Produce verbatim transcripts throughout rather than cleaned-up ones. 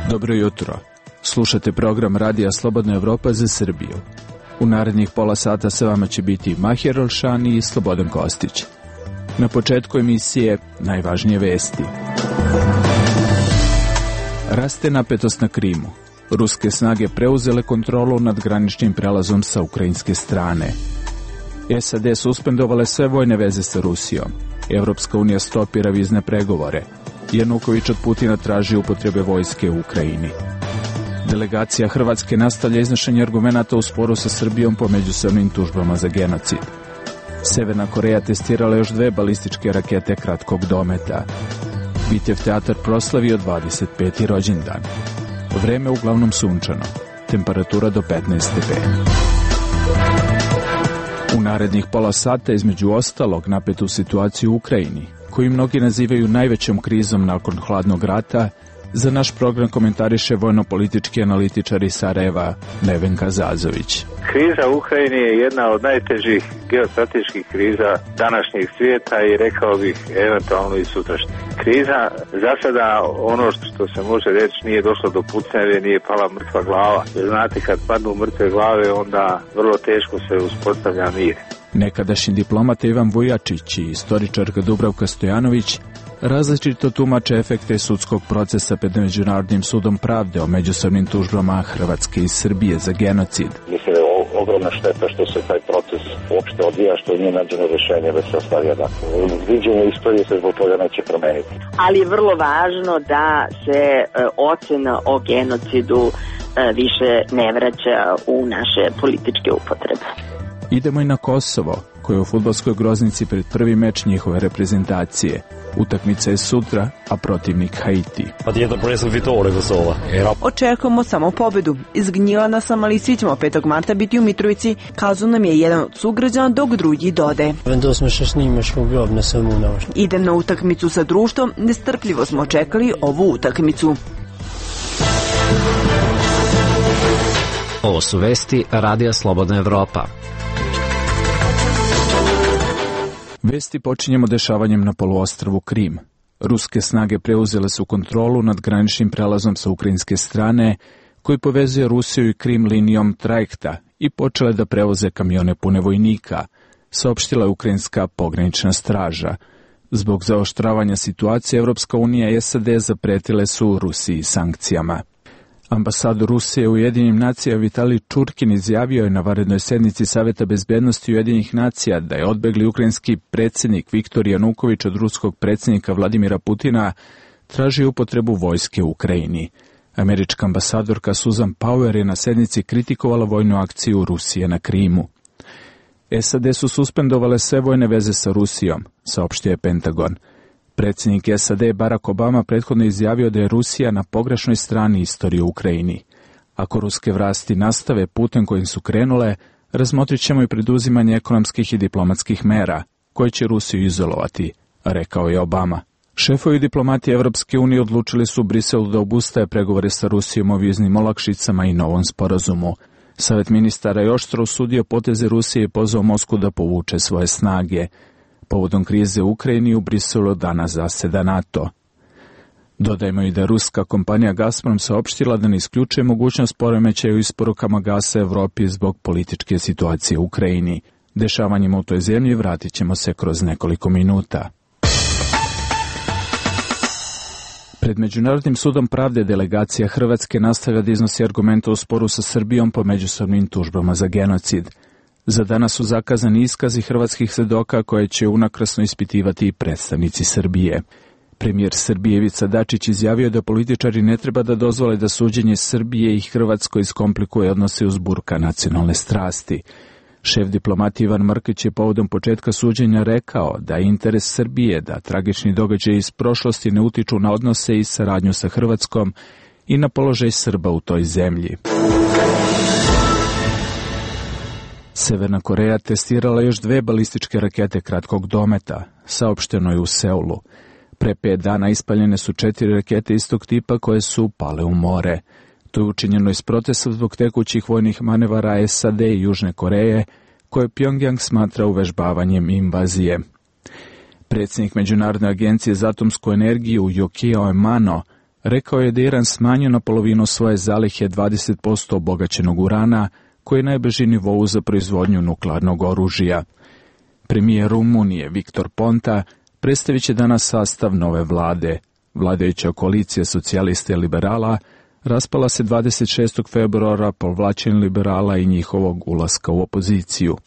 Dobro jutro. Slušate program Radija Slobodna Evropa za Srbiju. U narednih pola sata sa vama će biti Mahir Olšani i Slobodan Kostić. Na početku emisije najvažnije vesti. Raste napetost na Krimu. Ruske snage preuzele kontrolu nad graničnim prelazom sa ukrajinske strane. S A D suspendovale sve vojne veze sa Rusijom. Evropska unija stopira vizne pregovore. Januković od Putina traži upotrebe vojske u Ukrajini. Delegacija Hrvatske nastavlja iznošenje argumenata u sporu sa Srbijom po međusobnim tužbama za genocid. Severna Koreja testirala još dve balističke rakete kratkog dometa. Bitev teatar proslavio dvadeset peti rođendan. Vreme uglavnom sunčano. Temperatura do petnaest stepeni. U narednih pola sata, između ostalog, napetu situaciju u Ukrajini, koju mnogi nazivaju najvećom krizom nakon hladnog rata, za naš program komentariše vojno-politički analitičar iz Sarajeva Nevenka Zazović. Kriza u Ukrajini je jedna od najtežih geostrateških kriza današnjeg svijeta i rekao bih eventualno i sutrašnje. Kriza za sada, ono što se može reći, nije došlo do pucnjave, nije pala mrtva glava. Jer znate, kad padnu mrtve glave, onda vrlo teško se uspostavlja mir. Nekadašnji diplomata Ivan Vujačić i istoričarka Dubravka Stojanović različito tumače efekte sudskog procesa pred Međunarodnim sudom pravde o međusobnim tužbama Hrvatske i Srbije za genocid. Mislim da je ogromna šteta što se taj proces uopšte odvija, što nije nađeno rješenje da se ostavi jednako. Viđenje istorije se zbog toga neće promeniti. Ali je vrlo važno da se e, ocena o genocidu e, više ne vraća u naše političke upotrebe. Idemo i na Kosovo, koje je u fudbalskoj groznici pred prvi meč njihove reprezentacije. Utakmica je sutra, a protivnik Haiti. Očekujemo samo pobedu. Iz Gnjilana sam, ali svi ćemo petog marta biti u Mitrovici, kazao nam je jedan od sugrađana, dok drugi dode. Idem na utakmicu sa društvom, nestrpljivo smo čekali ovu utakmicu. Ovo su vesti Radija Slobodna Evropa. Vesti počinjemo dešavanjem na poluostrvu Krim. Ruske snage preuzele su kontrolu nad graničnim prelazom sa ukrajinske strane, koji povezuje Rusiju i Krim linijom trajekta, i počele da prevoze kamione pune vojnika, saopštila je ukrajinska pogranična straža. Zbog zaoštravanja situacije, Evropska unija i S A D zapretile su Rusiji sankcijama. Ambasador Rusije u Ujedinjenim nacijama Vitalij Čurkin izjavio je na vanrednoj sednici Saveta bezbednosti Ujedinjenih nacija da je odbegli ukrajinski predsjednik Viktor Januković od ruskog predsjednika Vladimira Putina traži upotrebu vojske u Ukrajini. Američka ambasadorka Susan Power je na sednici kritikovala vojnu akciju Rusije na Krimu. S A D su suspendovale sve vojne veze sa Rusijom, saopštio je Pentagon. Predsjednik S A D Barack Obama prethodno izjavio da je Rusija na pogrešnoj strani istorije u Ukrajini. Ako ruske vlasti nastave putem kojim su krenule, razmotrit ćemo i preduzimanje ekonomskih i diplomatskih mera, koje će Rusiju izolovati, rekao je Obama. Šefovi diplomatije Evropske unije odlučili su u Briselu da obustaje pregovore sa Rusijom o viznim olakšicama i novom sporazumu. Savet ministara je oštro osudio poteze Rusije i pozvao Moskvu da povuče svoje snage. Povodom krize u Ukrajini u Briselu danas zaseda NATO. Dodajmo i da je ruska kompanija Gazprom saopštila da ne isključuje mogućnost poremećaja u isporukama gasa Evropi zbog političke situacije u Ukrajini. Dešavanjima u toj zemlji vratit ćemo se kroz nekoliko minuta. Pred Međunarodnim sudom pravde delegacija Hrvatske nastavlja da iznosi argumente u sporu sa Srbijom po međusobnim tužbama za genocid. Za danas su zakazani iskazi hrvatskih svedoka koje će unakrasno ispitivati i predstavnici Srbije. Premijer Srbije Ivica Dačić izjavio da političari ne treba da dozvole da suđenje Srbije i Hrvatskoj iskomplikuje odnose uz burka nacionalne strasti. Šef diplomatije Ivan Mrkić je povodom početka suđenja rekao da je interes Srbije da tragični događaji iz prošlosti ne utiču na odnose i saradnju sa Hrvatskom i na položaj Srba u toj zemlji. Severna Koreja testirala još dve balističke rakete kratkog dometa, saopšteno je u Seulu. Pre pet dana ispaljene su četiri rakete istog tipa koje su pale u more. To je učinjeno iz protesta zbog tekućih vojnih manevara S A D i Južne Koreje, koje Pjongjang smatra uvežbavanjem invazije. Predsjednik Međunarodne agencije za atomsku energiju Yukio Amano rekao je da Iran smanjio na polovinu svoje zalihe dvadeset posto obogaćenog urana, koji je najbliži nivou za proizvodnju nuklearnog oružja. Premijer Rumunije Viktor Ponta predstavit će danas sastav nove vlade. Vladajuća koalicija socijalista i liberala raspala se dvadeset šestog februara povlačenjem liberala i njihovog ulaska u opoziciju.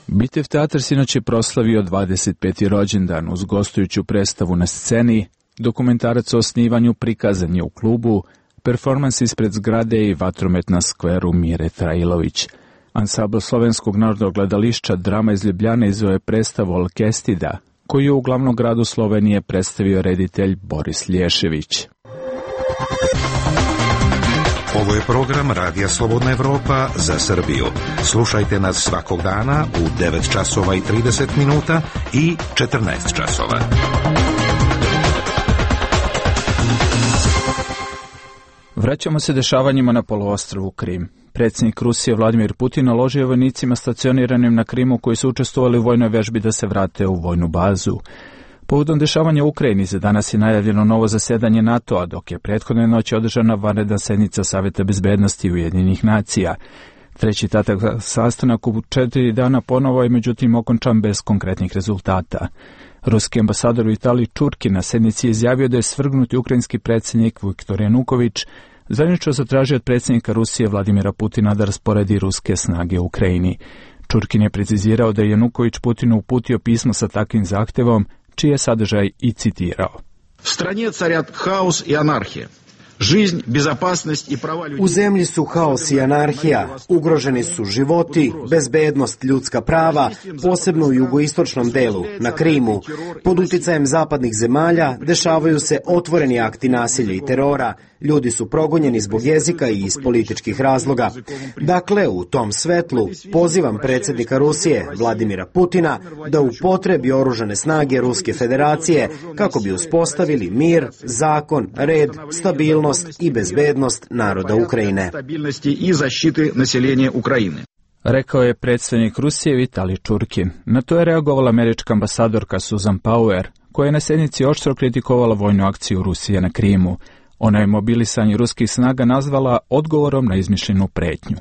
Bitev teatar sinoć je proslavio dvadeset peti rođendan uz gostujuću predstavu na sceni, dokumentarac o osnivanju prikazan je u klubu, performans ispred zgrade i vatromet na skveru Mire Trailović. Ansambl Slovenskog narodnog gledališća Drama iz Ljubljane izveo je predstavu Alkestida, koju je u glavnom gradu Slovenije predstavio reditelj Boris Lješević. Ovo je program Radija Slobodna Evropa za Srbiju. Slušajte nas svakog dana u devet časova i trideset minuta i četrnaest časova. Vraćamo se dešavanjima na poluostrvu Krim. Predsjednik Rusije Vladimir Putin naložio vojnicima stacioniranim na Krimu koji su učestvovali u vojnoj vežbi da se vrate u vojnu bazu. Povodom dešavanja u Ukrajini za danas je najavljeno novo zasedanje NATO-a, dok je prethodne noći održana vanredna sednica Saveta bezbednosti Ujedinjenih nacija. Treći tatak sastanak u četiri dana ponovo je međutim okončan bez konkretnih rezultata. Ruski ambasador u Italiji Čurkin na sednici je izjavio da je svrgnuti ukrajinski predsjednik Viktor Januković zajedničko zatražio od predsjednika Rusije Vladimira Putina da rasporedi ruske snage u Ukrajini. Čurkin je precizirao da je Januković Putinu uputio pismo sa takvim zahtevom, čiji je sadržaj i citirao. Stranje carjat haos i anarhija. Жизнь, безопасность и права людей. U zemlji su haos i anarhija, ugroženi su životi, bezbednost, ljudska prava, posebno u jugoistočnom delu, na Krimu. Pod uticajem zapadnih zemalja dešavaju se otvoreni akti nasilja i terora, ljudi su progonjeni zbog jezika i iz političkih razloga. Dakle, u tom svetlu pozivam predsjednika Rusije, Vladimira Putina, da upotrebi oružane snage Ruske federacije kako bi uspostavili mir, zakon, red, stabilnost i bezbednost naroda Ukrajine. Rekao je predsjednik Rusije Vitalij Čurkin. Na to je reagovala američka ambasadorka Susan Power, koja je na sednici oštro kritikovala vojnu akciju Rusije na Krimu. Ona je mobilisanje ruskih snaga nazvala odgovorom na izmišljenu pretnju.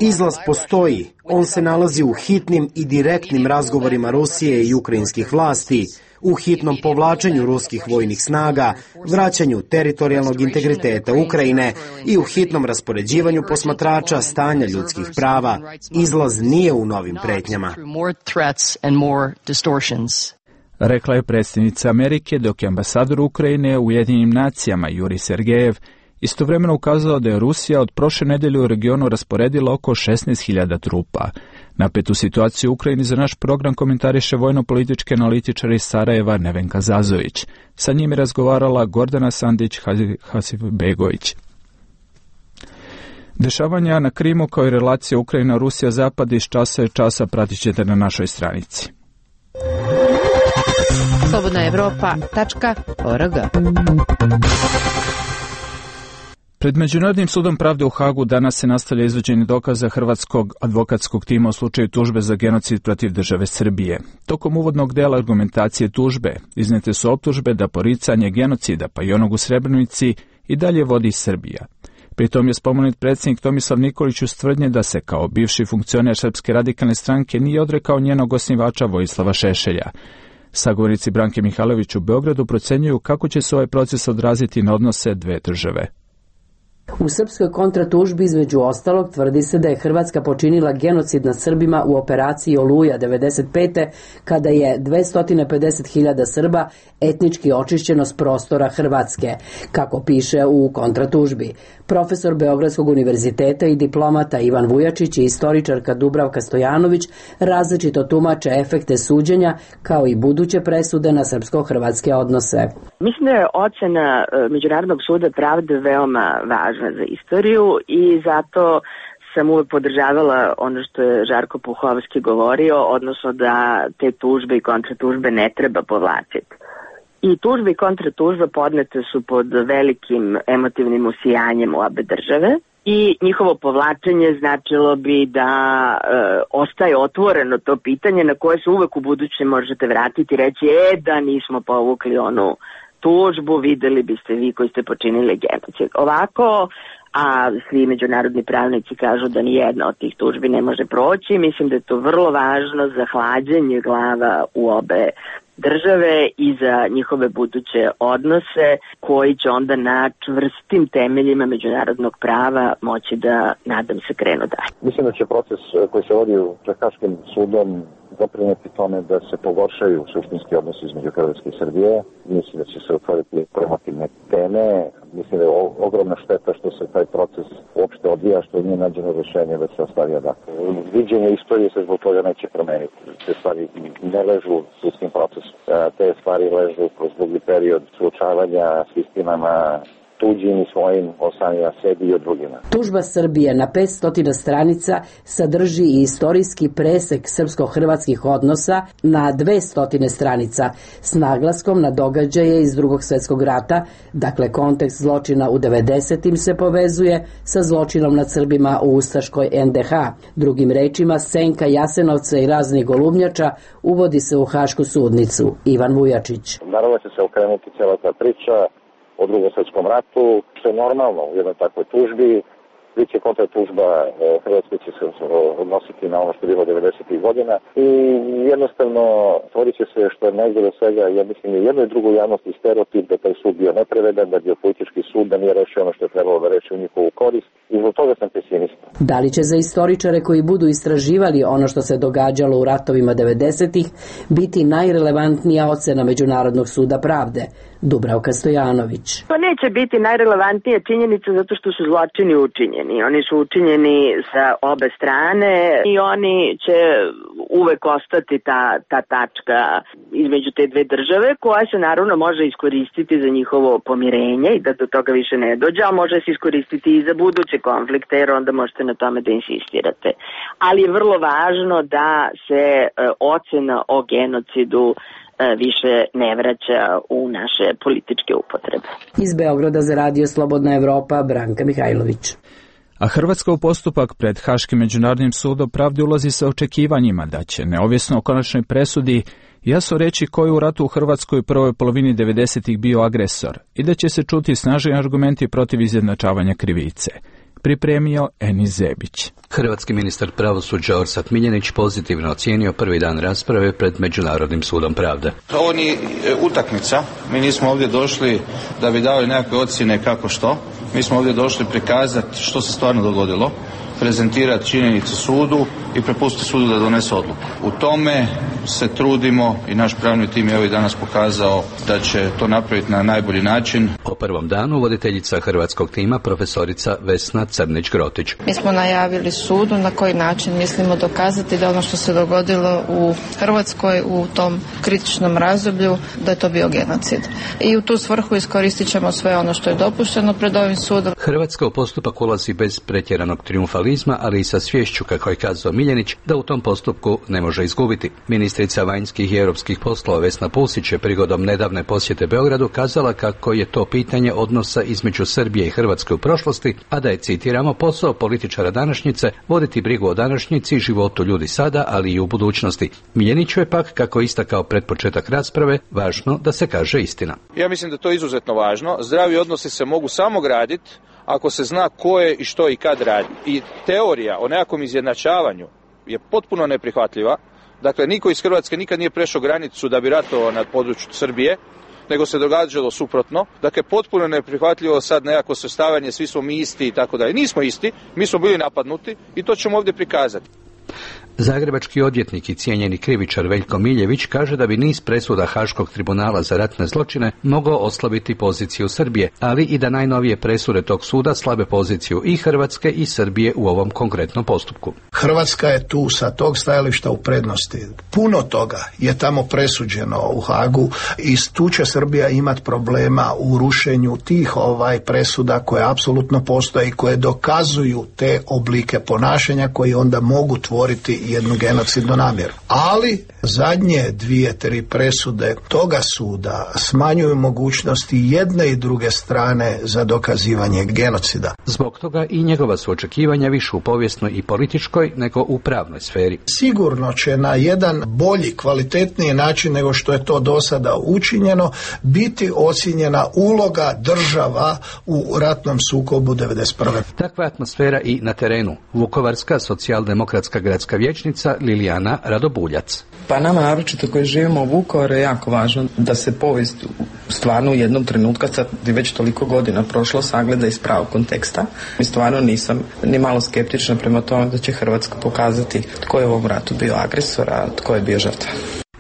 Izlaz postoji. On se nalazi u hitnim i direktnim razgovorima Rusije i ukrajinskih vlasti, u hitnom povlačenju ruskih vojnih snaga, vraćanju teritorijalnog integriteta Ukrajine i u hitnom raspoređivanju posmatrača stanja ljudskih prava. Izlaz nije u novim pretnjama. Rekla je predsjednica Amerike, dok je ambasador Ukrajine u Ujedinjenim nacijama Juri Sergejev istovremeno ukazao da je Rusija od prošle nedelje u regionu rasporedila oko šesnaest hiljada trupa. Napetu situaciju u Ukrajini za naš program komentariše vojno-politički analitičar iz Sarajeva Nevenka Zazović. Sa njim je razgovarala Gordana Sandić-Hasibegović. Dešavanja na Krimu kao i relacija Ukrajina-Rusija-Zapad iz časa i časa pratit ćete na našoj stranici. slobodna evropa tačka org. Pred Međunarodnim sudom pravde u Hagu danas se nastavlja izvođenje dokaza hrvatskog advokatskog tima u slučaju tužbe za genocid protiv države Srbije. Tokom uvodnog dela argumentacije tužbe iznijete su optužbe da poricanje genocida, pa i onog u Srebrenici, i dalje vodi Srbija. Pritom je spomenut predsjednik Tomislav Nikolić uz tvrdnje da se kao bivši funkcioner Srpske radikalne stranke nije odrekao njenog osnivača Vojislava Šešelja. Sagovornici Branke Mihajlović u Beogradu procenjuju kako će se ovaj proces odraziti na odnose dve države. U srpskoj kontratužbi između ostalog tvrdi se da je Hrvatska počinila genocid nad Srbima u operaciji Oluja devedeset pete kada je dvesta pedeset hiljada Srba etnički očišćeno s prostora Hrvatske, kako piše u kontratužbi. Profesor Beogradskog univerziteta i diplomata Ivan Vujačić i istoričarka Dubravka Stojanović različito tumače efekte suđenja kao i buduće presude na srpsko-hrvatske odnose. Mislim da je ocena Međunarodnog suda pravde veoma važna za istoriju i zato sam uvek podržavala ono što je Žarko Puhovski govorio, odnosno da te tužbe i kontratužbe ne treba povlačiti. I tužba i kontratužba podnete su pod velikim emotivnim usijanjem u obe države i njihovo povlačenje značilo bi da e, ostaje otvoreno to pitanje na koje se uvek u buduće možete vratiti i reći e da nismo povukli onu tužbu, videli biste vi koji ste počinili genocid. Ovako, a svi međunarodni pravnici kažu da ni jedna od tih tužbi ne može proći. Mislim da je to vrlo važno za hlađenje glava u obe države i za njihove buduće odnose koji će onda na čvrstim temeljima međunarodnog prava moći da, nadam se, krenu dalje. Mislim da će proces koji se vodi pred Haškim sudom doprineti tome da se pogoršaju suštinski odnosi između Hrvatske i Srbije. Mislim da će se otvoriti promotivne teme. Mislim da je ogromna šteta što se taj proces uopšte odvija, što nije nađeno rješenje da se ostavi adakle. Viđenje istorije se zbog toga neće promeniti. Te stvari ne ležu u sudskim procesu. Te stvari ležu kroz dugi period suočavanja s istinama tuđim i svojim, o samima sebi i o drugima. Tužba Srbije na petsto stranica sadrži i istorijski presek srpsko-hrvatskih odnosa na dvesta stranica s naglaskom na događaje iz Drugog svjetskog rata, dakle kontekst zločina u devedesetim se povezuje sa zločinom nad Srbima u ustaškoj en de ha. Drugim rečima, senka Jasenovca i raznih golubnjača uvodi se u Hašku sudnicu. Ivan Vujačić. Naravno će se okrenuti cijela ta priča o Drugom svjetskom ratu, što je normalno u jednoj takvoj tužbi. Biće kontratužba, Hrvatska će se odnositi na ono što je bilo devedesetih godina i jednostavno stvorit će se što je najgore od svega, ja mislim i jedno i drugo javnosti stereotip da taj sud bio nepravedan, da je bio politički sud, da nije rešio ono što je trebalo da reši u njihovu korist i zbog toga sam pesimista. Da li će za istoričare koji budu istraživali ono što se događalo u ratovima devedesetih biti najrelevantnija ocena Međunarodnog suda pravde? Dubravka Stojanović. To neće biti najrelevantnija činjenica zato što su zločini učinjeni. Oni su učinjeni sa obe strane i oni će uvek ostati ta, ta tačka između te dve države koja se naravno može iskoristiti za njihovo pomirenje i da do toga više ne dođe, a može se iskoristiti i za buduće konflikte jer onda možete na tome da insistirate. Ali je vrlo važno da se e, ocena o genocidu više ne vraća u naše političke upotrebe. Iz Beograda za Radio Slobodna Evropa, Branka Mihajlović. A Hrvatska u postupak pred Haškim međunarodnim sudom pravde ulazi sa očekivanjima da će, neovisno o konačnoj presudi, jasno reći ko je u ratu u Hrvatskoj u prvoj polovini devedesetih bio agresor i da će se čuti snažni argumenti protiv izjednačavanja krivice. Pripremio Enis Zebić. Hrvatski ministar pravosuđa Orsat Miljenić pozitivno ocijenio prvi dan rasprave pred Međunarodnim sudom pravde. Ovo nije utakmica, mi nismo ovdje došli da bi dali nekakve ocjene kako što, mi smo ovdje došli prikazati što se stvarno dogodilo, prezentirati činjenice sudu i prepustiti sudu da donese odluku. U tome se trudimo i naš pravni tim je ovih danas pokazao da će to napraviti na najbolji način. O prvom danu voditeljica hrvatskog tima profesorica Vesna Crnić-Grotić. Mi smo najavili sudu na koji način mislimo dokazati da ono što se dogodilo u Hrvatskoj u tom kritičnom razdoblju da je to bio genocid. I u tu svrhu iskoristit ćemo sve ono što je dopušteno pred ovim sudom. Hrvatska u postupak ulazi bez pretjeranog trijumfalizma, ali i sa sviješću, kako je kazao Miljenić, da u tom postupku ne može izgubiti. Ministrica vanjskih i europskih poslova Vesna Pusić je prigodom nedavne posjete Beogradu kazala kako je to pitanje odnosa između Srbije i Hrvatske u prošlosti, a da je, citiramo, posao političara današnjice voditi brigu o današnjici i životu ljudi sada, ali i u budućnosti. Miljeniću je pak, kako istakao pred početak rasprave, važno da se kaže istina. Ja mislim da to je izuzetno važno. Zdravi odnosi se mogu samo graditi ako se zna ko je i što i kad radi. I teorija o nekakvom izjednačavanju je potpuno neprihvatljiva. Dakle, niko iz Hrvatske nikad nije prešao granicu da bi ratovao na području Srbije, nego se događalo suprotno. Dakle, potpuno neprihvatljivo sad nekako svrstavanje, svi smo mi isti i tako dalje. Nismo isti, mi smo bili napadnuti i to ćemo ovdje prikazati. Zagrebački odvjetnik i cijenjeni krivičar Veljko Miljević kaže da bi niz presuda Haškog tribunala za ratne zločine mogao oslabiti poziciju Srbije, ali i da najnovije presude tog suda slabe poziciju i Hrvatske i Srbije u ovom konkretnom postupku. Hrvatska je tu sa tog stajališta u prednosti. Puno toga je tamo presuđeno u Hagu i tu će Srbija imati problema u rušenju tih ovaj presuda koje apsolutno postoje i koje dokazuju te oblike ponašanja koji onda mogu tvoriti jednu genocidnu namjeru. Ali zadnje dvije, tri presude toga suda smanjuju mogućnosti jedne i druge strane za dokazivanje genocida. Zbog toga i njegova su očekivanja više u povijesnoj i političkoj nego u pravnoj sferi. Sigurno će na jedan bolji, kvalitetniji način nego što je to do sada učinjeno biti ocijenjena uloga država u ratnom sukobu devedeset prve. Takva atmosfera i na terenu. Vukovarska socijaldemokratska gradska vijećnica Lilijana Radobuljac. Pa nama, naročito koji živimo u Vukovaru, je jako važno da se povijest stvarno u jednom trenutku, sad je već toliko godina prošlo, sagleda iz pravog konteksta. I stvarno nisam ni malo skeptična prema tome da će Hrvatska pokazati tko je u ovom ratu bio agresor, a tko je bio žrtva.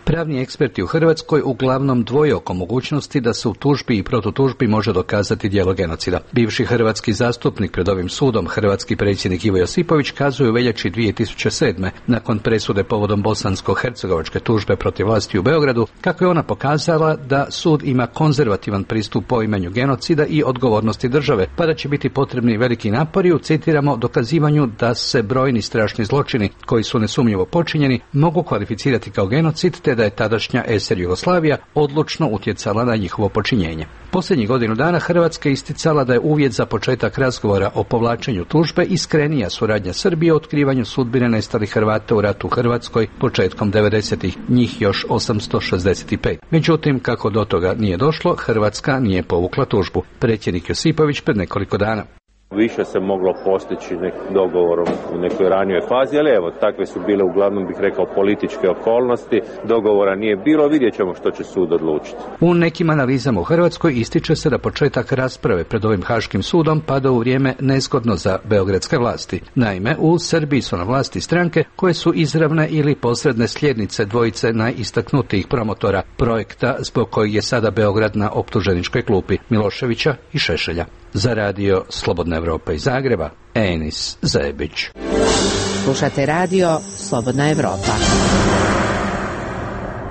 Pravni eksperti u Hrvatskoj uglavnom dvoje oko mogućnosti da se u tužbi i protutužbi može dokazati djelo genocida. Bivši hrvatski zastupnik pred ovim sudom, hrvatski predsjednik Ivo Josipović, kazuje u veljači dvije tisuće sedme. nakon presude povodom bosansko-hercegovačke tužbe protiv vlasti u Beogradu, kako je ona pokazala da sud ima konzervativan pristup poimanju genocida i odgovornosti države, pa da će biti potrebni veliki napori u, citiramo, dokazivanju da se brojni strašni zločini koji su nesumnjivo počinjeni mogu kvalificirati kao genocid, te da je tadašnja es er Jugoslavija odlučno utjecala na njihovo počinjenje. Posljednjih godinu dana Hrvatska je isticala da je uvjet za početak razgovora o povlačenju tužbe iskrenija suradnja Srbije u otkrivanju sudbine nestalih Hrvata u ratu u Hrvatskoj početkom devedesetih, njih još osamsto šezdeset pet. Međutim, kako do toga nije došlo, Hrvatska nije povukla tužbu. Predsjednik Josipović pred nekoliko dana. Više se moglo postići nekim dogovorom u nekoj ranijoj fazi, ali evo, takve su bile uglavnom, bih rekao, političke okolnosti. Dogovora nije bilo, vidjet ćemo što će sud odlučiti. U nekim analizama u Hrvatskoj ističe se da početak rasprave pred ovim Haškim sudom pada u vrijeme nezgodno za beogradske vlasti. Naime, u Srbiji su na vlasti stranke koje su izravne ili posredne sljednice dvojice najistaknutijih promotora projekta zbog kojeg je sada Beograd na optuženičkoj klupi, Miloševića i Šešelja. Za radio Slobodna Evropa iz Zagreba, Enis Zebić. Slušate radio Slobodna Evropa.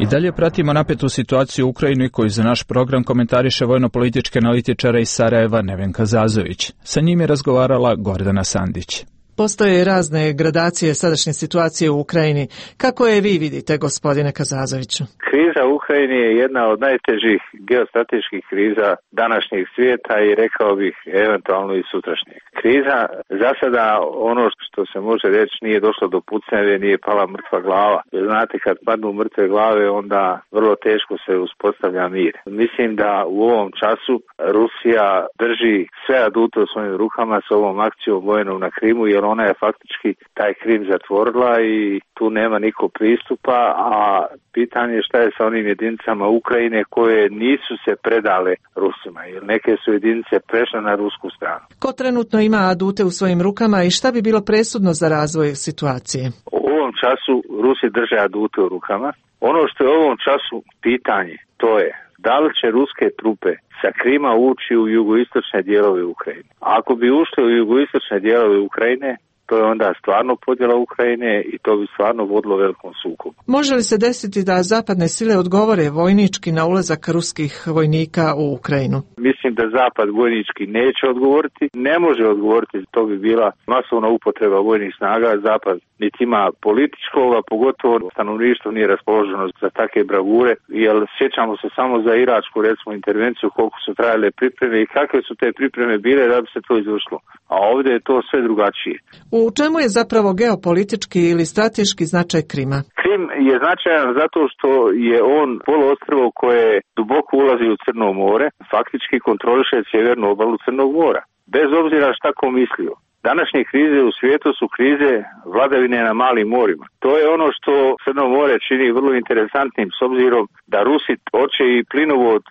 I dalje pratimo napetu situaciju u Ukrajini koju za naš program komentariše vojno-politički analitičara iz Sarajeva Nevenka Zazović. Sa njim je razgovarala Gordana Sandić. Postoje razne gradacije sadašnje situacije u Ukrajini. Kako je vi vidite, gospodine Kazazoviću? Kriza u Ukrajini je jedna od najtežih geostrateških kriza današnjeg svijeta i rekao bih eventualno i sutrašnjeg. Kriza za sada, ono što se može reći, nije došlo do pucnjave, nije pala mrtva glava. Jer znate, kad padnu mrtve glave, onda vrlo teško se uspostavlja mir. Mislim da u ovom času Rusija drži sve adute u svojim rukama s ovom akcijom vojnom na Krimu, jer ona je faktički taj Krim zatvorila i tu nema niko pristupa, a pitanje je šta je sa onim jedinicama Ukrajine koje nisu se predale Rusima, jer neke su jedinice prešle na rusku stranu. Ko trenutno ima adute u svojim rukama i šta bi bilo presudno za razvoj situacije? U ovom času Rusi drže adute u rukama. Ono što je u ovom času pitanje, to je da li će ruske trupe sa Krima ući u jugoistočne dijelove Ukrajine. A ako bi ušli u jugoistočne dijelove Ukrajine, to je onda stvarno podjela Ukrajine i to bi stvarno vodilo velikom sukobu. Može li se desiti da zapadne sile odgovore vojnički na ulazak ruskih vojnika u Ukrajinu? Mislim da Zapad vojnički neće odgovoriti, ne može odgovoriti, to bi bila masovna upotreba vojnih snaga. Zapad niti ima političkog, a pogotovo stanovništvo nije raspoloženo za takve bravure, jer sjećamo se samo za iračku, recimo, intervenciju, koliko su trajale pripreme i kakve su te pripreme bile da bi se to izvršilo. A ovdje je to sve drugačije. U čemu je zapravo geopolitički ili strateški značaj Krima? Krim je značajan zato što je on poluostrvo koje duboko ulazi u Crno more, faktički kontroliše sjevernu obalu Crnog mora. Bez obzira šta ko mislio. Današnje krize u svijetu su krize vladavine na malim morima. To je ono što Crno more čini vrlo interesantnim s obzirom da Rusi hoće i plinovod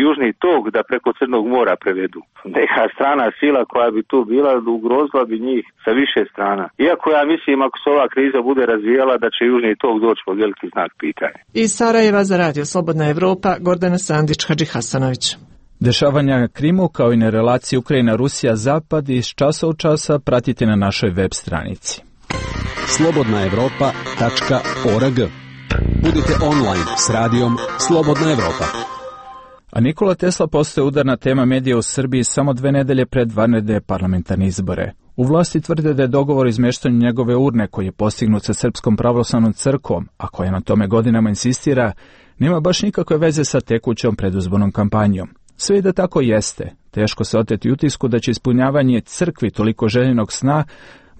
južni tok da preko Crnog mora prevedu. Neka strana sila koja bi tu bila ugrozila bi njih sa više strana. Iako ja mislim, ako se ova kriza bude razvijala, da će južni tok doći pod veliki znak pitanja. Iz Sarajeva za radio Slobodna Evropa, Gordana Sandić, Hadži Hasanović. Dešavanja Krimu kao i na relaciji Ukrajina-Rusija-Zapad iz časa u časa pratite na našoj web stranici. slobodna evropa tačka org. Budite online s radijom Slobodna Evropa. A Nikola Tesla postaje udarna tema medija u Srbiji samo dve nedelje pred vanredne parlamentarne izbore. U vlasti tvrde da je dogovor o izmeštanju njegove urne koji je postignut sa Srpskom pravoslavnom crkvom, a koja na tome godinama insistira, nema baš nikakve veze sa tekućom predizbornom kampanjom. Sve i da tako jeste, teško se oteti utisku da će ispunjavanje crkvi toliko željenog sna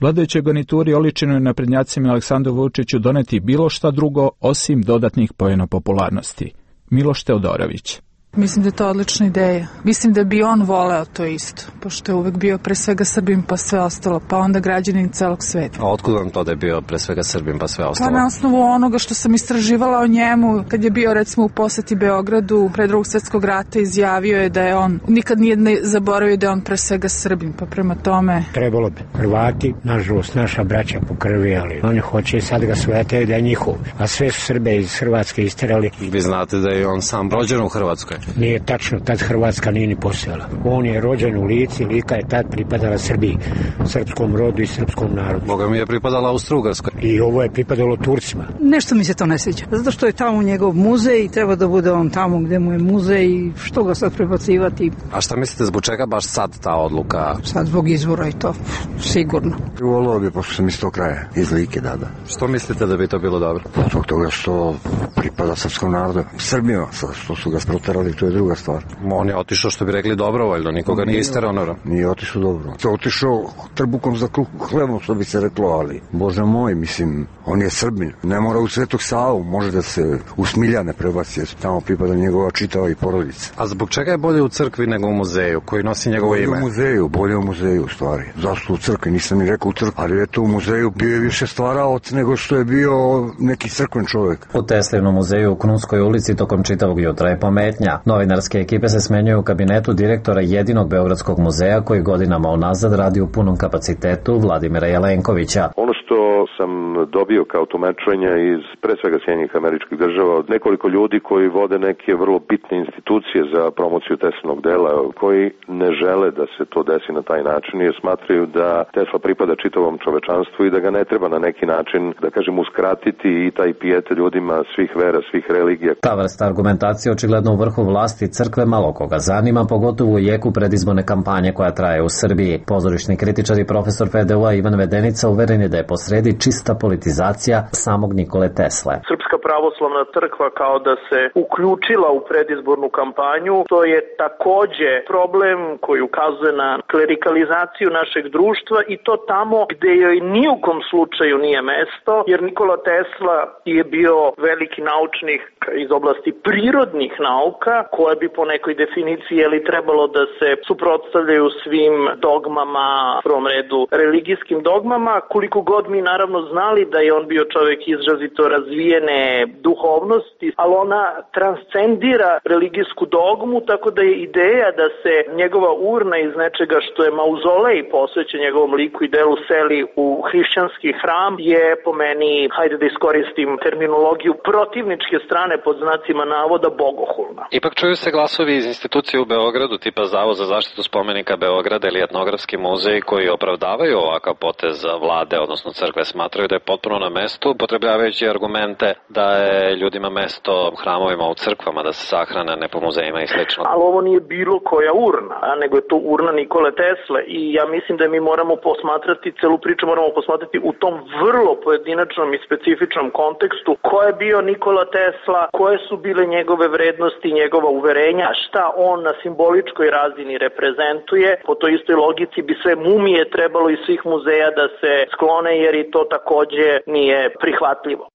vladajućoj garnituri oličenoj naprednjacima Aleksandru Vučiću doneti bilo šta drugo osim dodatnih poena popularnosti. Miloš Teodorović. Mislim da je to odlična ideja. Mislim da bi on voleo to isto, pošto je uvek bio pre svega Srbin pa sve ostalo, pa onda građanin celog sveta. A otkud vam to da je bio pre svega Srbin pa sve ostalo? Pa na osnovu onoga što sam istraživala o njemu, kad je bio recimo u poseti Beogradu pre drugog svjetskog rata, izjavio je da je on, nikad nije ne zaboravio da je on pre svega Srbin, pa prema tome... Trebalo bi. Hrvati, nažalost, naša braća po krvi, ali oni hoće sad ga svetaju da je njihov, a sve su Srbe iz Hrvatske isterali. Vi znate da je on sam rođen u Hrvatskoj? Nije tačno, tad Hrvatska nije ni postojala. On je rođen u Lici, Lika je tad pripadala Srbiji, srpskom rodu i srpskom narodu. Boga mi je pripadala Austro-Ugarskoj. I ovo je pripadalo Turcima. Nešto mi se to ne sviđa, zato što je tamo njegov muzej i treba da bude on tamo gde mu je muzej i što ga sad prebacivati. A šta mislite, zbog čega baš sad ta odluka? Sad zbog izvora i to, sigurno. Volio bi, pošto sam iz tog kraja, iz Like, da, da. Što mislite da bi to bilo dobro? Zbog toga što pripada srpskom narodu. Srbima, što su ga sproterali, to je druga stvar. On je otišao, što bi rekli, dobrovoljno, nikoga nije isterao. Nije otišao dobro. To je otišao trbukom za hlebom, što bi se reklo, ali Bože moj, mislim, on je Srbin. Ne mora u Svetog Savu, može da se u Smiljane prebaci, tamo pripada njegova čitava i porodica. A zbog čega je bolje u crkvi nego u muzeju, koji nosi njegovo ime? Bolje u muzeju, bolje u muzeju, u stvari. Zašto u crkvi, nisam ni rekao u crkvi, ali eto u muzeju bio je više stvaraoc nego što je bio neki crkven čovjek. U Teslivnom muzeju u Krunskoj ulici tokom čitavog jutra je pometnja. Novinarske ekipe se smenjuju u kabinetu direktora jedinog Beogradskog muzeja koji godinama unazad radi u punom kapacitetu, Vladimira Jelenkovića. Ono što sam dobio kao tumačenje iz pre svega Sjedinjenih Američkih Država od nekoliko ljudi koji vode neke vrlo bitne institucije za promociju Teslinog dela, koji ne žele da se to desi na taj način jer smatraju da Tesla pripada čitavom čovečanstvu i da ga ne treba na neki način, da kažem, uskratiti i taj pijet ljudima svih vera, svih religija. Ta vrsta argumentacije očigledno u vrhu vlasti crkve malo koga zanima, pogotovo u jeku predizborne kampanje koja traje u Srbiji. Pozorišni kritičar i profesor F D U-a Ivan Vedenica uveren je da je posredi čista politizacija samog Nikole Tesle. Srpska pravoslavna crkva kao da se uključila u predizbornu kampanju, to je takođe problem koji ukazuje na klerikalizaciju našeg društva i to tamo gde joj ni u kom slučaju nije mesto, jer Nikola Tesla je bio veliki naučnik iz oblasti prirodnih nauka, koje bi po nekoj definiciji jeli trebalo da se suprotstavljaju svim dogmama, u prvom redu religijskim dogmama, koliko god mi naravno znali da je on bio čovjek izrazito razvijene duhovnosti, ali ona transcendira religijsku dogmu, tako da je ideja da se njegova urna iz nečega što je mauzolej posvećen njegovom liku i delu seli u hrišćanski hram je po meni, hajde da iskoristim terminologiju protivničke strane pod znacima navoda, bogohulna. Ipak čuju se glasovi iz institucije u Beogradu tipa Zavod za zaštitu spomenika Beograda ili Etnografski muzej koji opravdavaju ovakav potez vlade, odnosno crkve, smatraju da je potpuno na mestu, upotrebljavajući argumente da je ljudima mesto u hramovima, u crkvama, da se sahrane, ne po muzejima i slično. Ali ovo nije bilo koja urna, a nego je to urna Nikole Tesle i ja mislim da mi moramo posmatrati, celu priču moramo posmatrati u tom vrlo pojedinačnom i specifičnom kontekstu ko je bio Nikola Tesla, koje su bile njegove vrednosti, njegova uverenja, šta on na simboličkoj razini reprezentuje. Po toj istoj logici bi sve mumije trebalo iz svih muzeja da se sklone jer i to takođe nije prihvatljivo.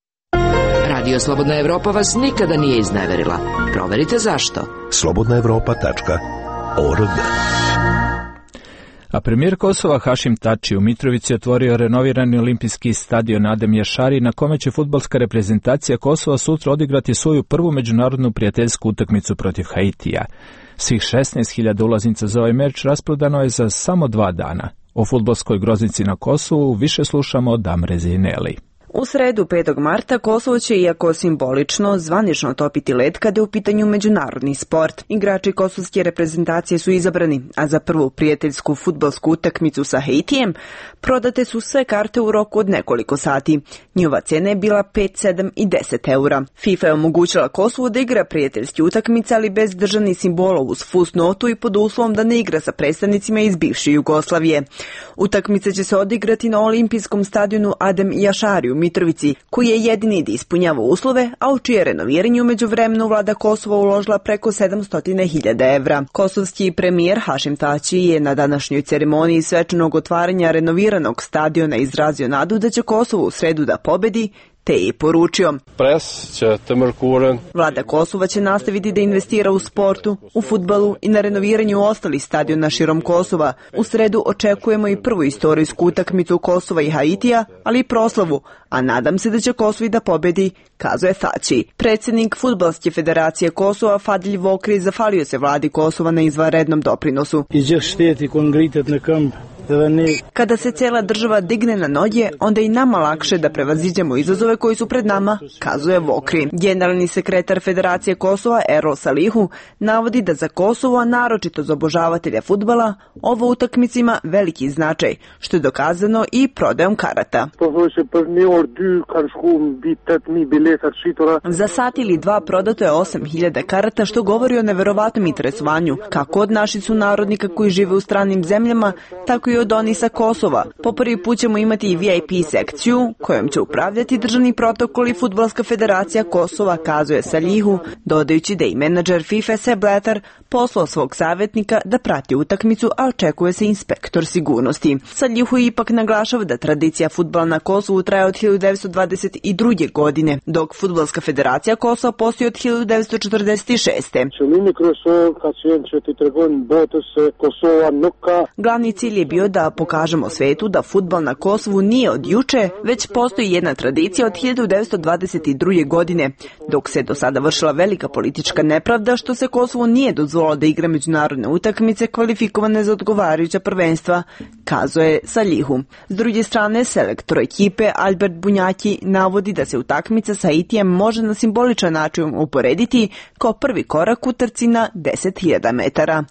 Radio Slobodna Evropa vas nikada nije izneverila. Proverite zašto. slobodna evropa tačka org. A premijer Kosova Hašim Tači u Mitrovici otvorio renovirani olimpijski stadion Adem Jašari na kome će fudbalska reprezentacija Kosova sutra odigrati svoju prvu međunarodnu prijateljsku utakmicu protiv Haitija. Svih šesnaest hiljada ulaznica za ovaj meč rasprodano je za samo dva dana. O fudbalskoj groznici na Kosovu više slušamo od Damre Zineli. U sredu petog marta Kosovo će, iako simbolično, zvanično topiti led kada je u pitanju međunarodni sport. Igrači kosovske reprezentacije su izabrani, a za prvu prijateljsku fudbalsku utakmicu sa Haitijem prodate su sve karte u roku od nekoliko sati. Njihova cena je bila pet, sedam i deset eura. FIFA je omogućila Kosovu da igra prijateljski utakmice, ali bez državnih simbola, uz fusnotu i pod uslovom da ne igra sa predstavnicima iz bivše Jugoslavije. Utakmice će se odigrati na olimpijskom stadionu Adem Jašari u Mitrovici, koji je jedini da ispunjava uslove, a u čije renoviranje umeđu vremenu vlada Kosova uložila preko sedamsto hiljada evra. Kosovski premijer Hašim Tači je na današnjoj ceremoniji svečanog otvaranja renoviranog stadiona izrazio nadu da će Kosovo u sredu da pobedi, te je i poručio: Vlada Kosova će nastaviti da investira u sportu, u fudbalu i na renoviranju ostalih stadiona širom Kosova. U sredu očekujemo i prvu istorijsku utakmicu Kosova i Haitija, ali i proslavu, a nadam se da će Kosovo da pobedi, kazuje Tači. Predsjednik Fudbalske federacije Kosova Fadilj Vokri zahvalio se vladi Kosova na izvanrednom doprinosu. Kada se cijela država digne na noge, onda je i nama lakše da prevaziđemo izazove koji su pred nama, kazuje Vokri. Generalni sekretar Federacije Kosova Erol Salihu navodi da za Kosovo, a naročito za obožavatelja fudbala, ovo utakmica ima veliki značaj, što je dokazano i prodajom karata. Za sat ili dva prodato je osam hiljada karata, što govori o neverovatnom interesovanju, kako od naših sunarodnika koji žive u stranim zemljama, tako i od oni sa Kosova. Po prvi put ćemo imati i V I P sekciju kojom će upravljati državni protokol i Fudbalska federacija Kosova, kazuje Salihu, dodajući da i menadžer FIFA Sepp Blatter poslao svog savjetnika da prati utakmicu, a očekuje se inspektor sigurnosti. Salihu ipak naglašava da tradicija fudbala na Kosovu traje od hiljadu devetsto dvadeset druge. godine, dok Fudbalska federacija Kosova postoji od hiljadu devetsto četrdeset šeste. Glavni cilj je bio da pokažemo svetu da fudbal na Kosovu nije od juče, već postoji jedna tradicija od hiljadu devetsto dvadeset druge. godine, dok se do sada vršila velika politička nepravda što se Kosovo nije dozvolilo da igra međunarodne utakmice kvalifikovane za odgovarajuća prvenstva, kazuje Salihu. S druge strane, selektor ekipe Albert Bunjaki navodi da se utakmica sa Haitijem može na simboličan način uporediti kao prvi korak u trci na deset hiljada metara.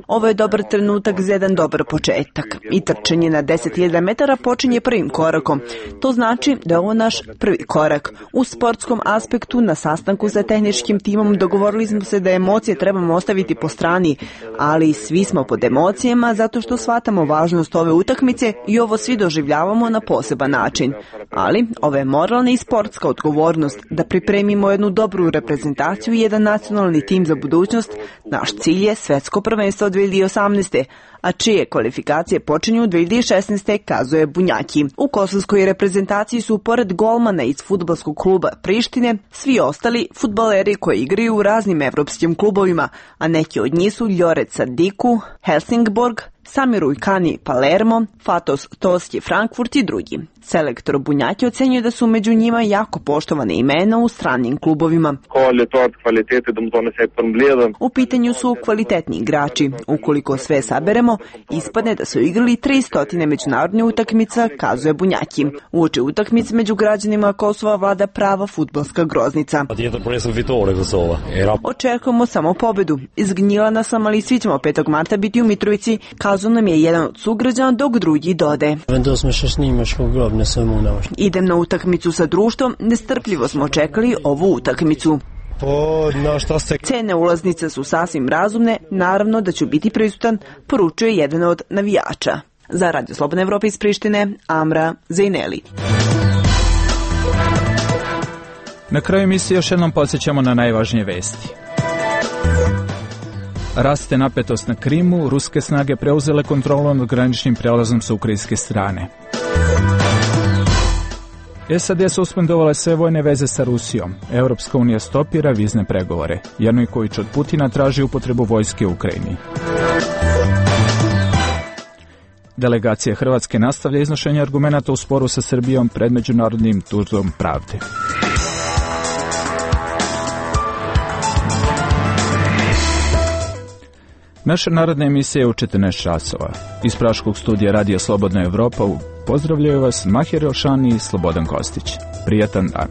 Ovo je dobar trenutak za jedan dobar početak i trčanje na deset hiljada metara počinje prvim korakom. To znači da je ovo naš prvi korak. U sportskom aspektu na sastanku sa tehničkim timom dogovorili smo se da emocije trebamo ostaviti po strani, ali svi smo pod emocijama zato što shvatamo važnost ove utakmice i ovo svi doživljavamo na poseban način. Ali ovo je moralna i sportska odgovornost da pripremimo jednu dobru reprezentaciju i jedan nacionalni tim za budućnost. Naš cilj je svetsko prvenstvo dve hiljade osamnaeste. a čije kvalifikacije počinju u dve hiljade šesnaeste. kazuje Bunjaki. U kosovskoj reprezentaciji su pored golmana iz fudbalskog kluba Prištine svi ostali fudbaleri koji igraju u raznim evropskim klubovima, a neki od njih su Ljoret Sadiku, Helsingborg, Samir Ujkani Palermo, Fatos Toski Frankfurt i drugi. Selektor Bunjaki ocenjuje da su među njima jako poštovane imena u stranim klubovima. U pitanju su kvalitetni igrači. Ukoliko sve saberemo, ispadne da su igrali tristo međunarodne utakmica, kazuje Bunjaki. Uoči utakmice među građanima Kosova vlada prava fudbalska groznica. Očekujemo samo pobedu. Izgnjilana sam, ali svi ćemo petog marta biti u Mitrovici, kazao nam je jedan od sugrađana, dok drugi dode. Idem na utakmicu sa društvom, nestrpljivo smo čekali ovu utakmicu. Cene ulaznica su sasvim razumne, naravno da ću biti prisutan, poručuje jedan od navijača. Za Radio Slobodna Evropa iz Prištine, Amra Zejneli. Na kraju emisije još jednom podsjećamo na najvažnije vesti. Raste napetost na Krimu, ruske snage preuzele kontrolu nad graničnim prelazom sa ukrajinske strane. S A D suspendovale sve vojne veze sa Rusijom. Europska unija stopira vizne pregovore. Janujković od Putina traži upotrebu vojske u Ukrajini. Delegacija Hrvatske nastavlja iznošenje argumenata u sporu sa Srbijom pred Međunarodnim sudom pravde. Naša narodna emisija je u četrnaest časova. Iz Praškog studija Radija Slobodna Evropa pozdravljaju vas Mahir Elšani i Slobodan Kostić. Prijatan dan.